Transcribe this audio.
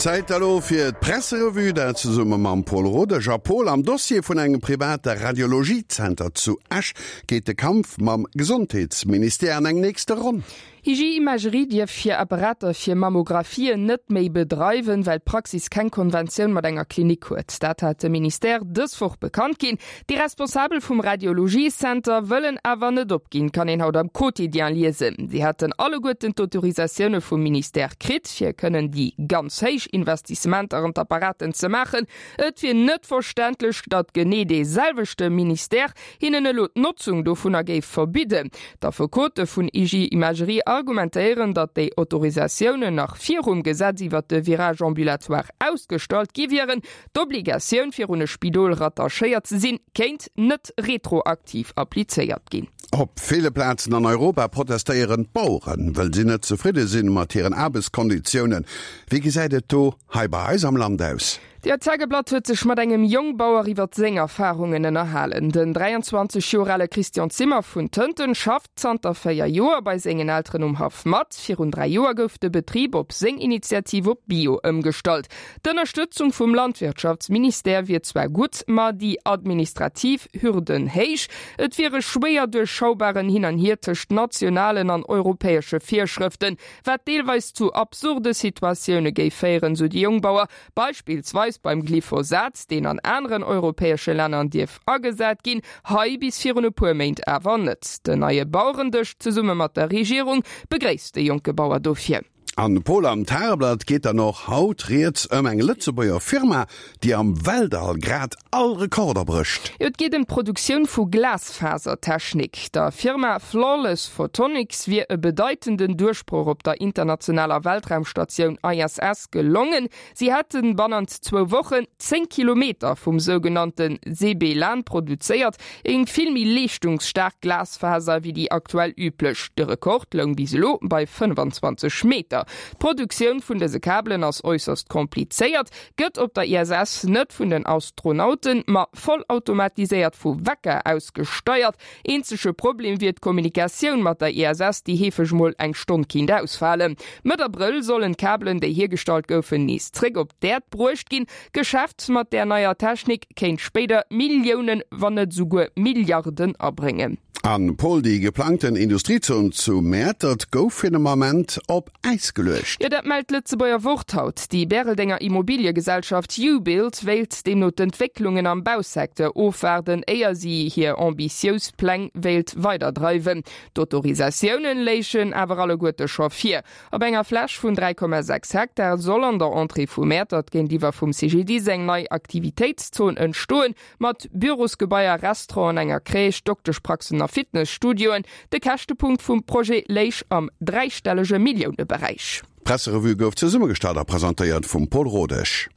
Zäit elo fir d'Presserevue, dat zesumme mam Paul Rodesch. A Paul, am Dossier vun engem private Radiologie-Zenter zu Esch geet de Kampf mam Gesondheetsministère an eng nächste Ronn. Hygie Imagerie dierf hir Apparater fir Mammographien net méi bedreiwen, well d'Praxis keng Konventioun mat enger Klinik huet. Dat hat de Ministère dës Woch bekannt ginn. Déi Responsabel vum Radiologie-Center wëllen awer net opginn, kann een haut am Quotidien liesen. Si hätten alleguerten d'Autorisatioune vum Ministère kritt, fir kënnen déi ganz héich Investissementer an d'Apparaten ze maachen. Et wier net verständlech, datt genee dee selwechte Ministère hinnen elo d'Notzung dovunner géif verbidden. D'Affekote vun IG Imagerie argumentéieren, datt déi Autorisatiounen nach virum Gesetz iwwert de Virage ambulatoire ausgestallt gi wieren. D'Obligatioun, fir un e Spidol rattachéiert ze sinn, kéint net retroaktiv applizéiert ginn. Op ville Plazen an Europa protestéieren d'Baueren, wëll si net zefridde sinn mat hiren Aarbechtskonditiounen. Wéi gesäit et do hei bei eis am Land aus? Der Tageblatt huet sech mat engem Jongbauer iwwer seng Erfarungen ënnerhalen. Den 23 Joer ale Christian Zimmer vun Tënten schafft zanter 4 Joer bei sengen Elteren um Haff mat. Virun 3 Joer gouf de Betrib op seng Initiativ op Bio ëmgestallt. D'Ënnerstëtzung vum Landwirtschaftsministère wier zwar gutt, ma déi administrativ Hürden héich. Et wier e schwéier duerchschaubaren Hin an Hier tëscht nationalen an europäesche Virschrëften, wat deelweis zu absurde Situatioune géif féieren, sou de Jongbauer. Beispillsweis beim Glyphosat, deen an aneren europäesche Länner dierf agesat ginn, hei bis virun e puer Méint awer net. Den neie Bauerendësch zesumme mat der Regierung begréisst de jonke Bauer dofir. An Paul, am Tageblatt geet dann och haut rieds ëm eng Lëtzebuerger Firma, déi am Weltall grad all Rekorder brécht. Jo, et geet ëm d'Produktioun vu Glasfasertechnik. Der Firma Flawless Photonics wier e bedeitenden Duerchbroch op der internationaler Weltraumstatioun ISS Gelongen. Si hätten bannent zwou Wochen 10 Kilometer vum sougenannte CB-LAN produzéiert, eng vill méi leeschtungsstaark Glasfaser wéi déi aktuell üblech. De Rekord loung bis elo bei 25 Meter. D'Produktioun vun dëse Kabelen ass äusserst komplizéiert, gëtt op der ISS net vun den Astronauten, ma vollautomatiséiert vu Wecker aus gesteiert. Eenzege Problem wier d'Kommunikatioun mat der ISS, déi heefeg mol eng Stonn kinnt ausfalen. Mëtt Abrëll sollen d'Kabelen, déi hiergestallt goufen, nees zréck op d'Äerd bruecht ginn. D'Geschäft mat där neier Technik kéint spéider Milliounen, wann net esouguer Milliarden abréngen. An Paul, déi geplangten Industriezon zu Mäertert gouf fir den Ament op Äis geluecht. Jo, dat mellt d'Lëtzebuerger Wort haut. Déi Bäreldenger Immobiliegesellschaft U-Build wéilt deemno d'Entwécklungen am Bausecteur ofwaarden, éier si hir ambitious Pläng wéilt weiderdreiwen. D'Autorisatiounen léichen awer alleguerte scho vir. Op enger Fläch vun 3,6 Hektar soll an der Entrée vu Mäertert géintiwwer vum CGDIS eng nei Aktivitéitszon entstoen. Mat Bürosgebaier, Restauranten, enger Crèche, Dokteschpraxen a Fitnesstudioen. De Käschtepunkt vum Projet léich am dräistellege Milliouneberäich. D'Presserevue gouf zesummegestallt a presentéiert vum Paul Rodesch.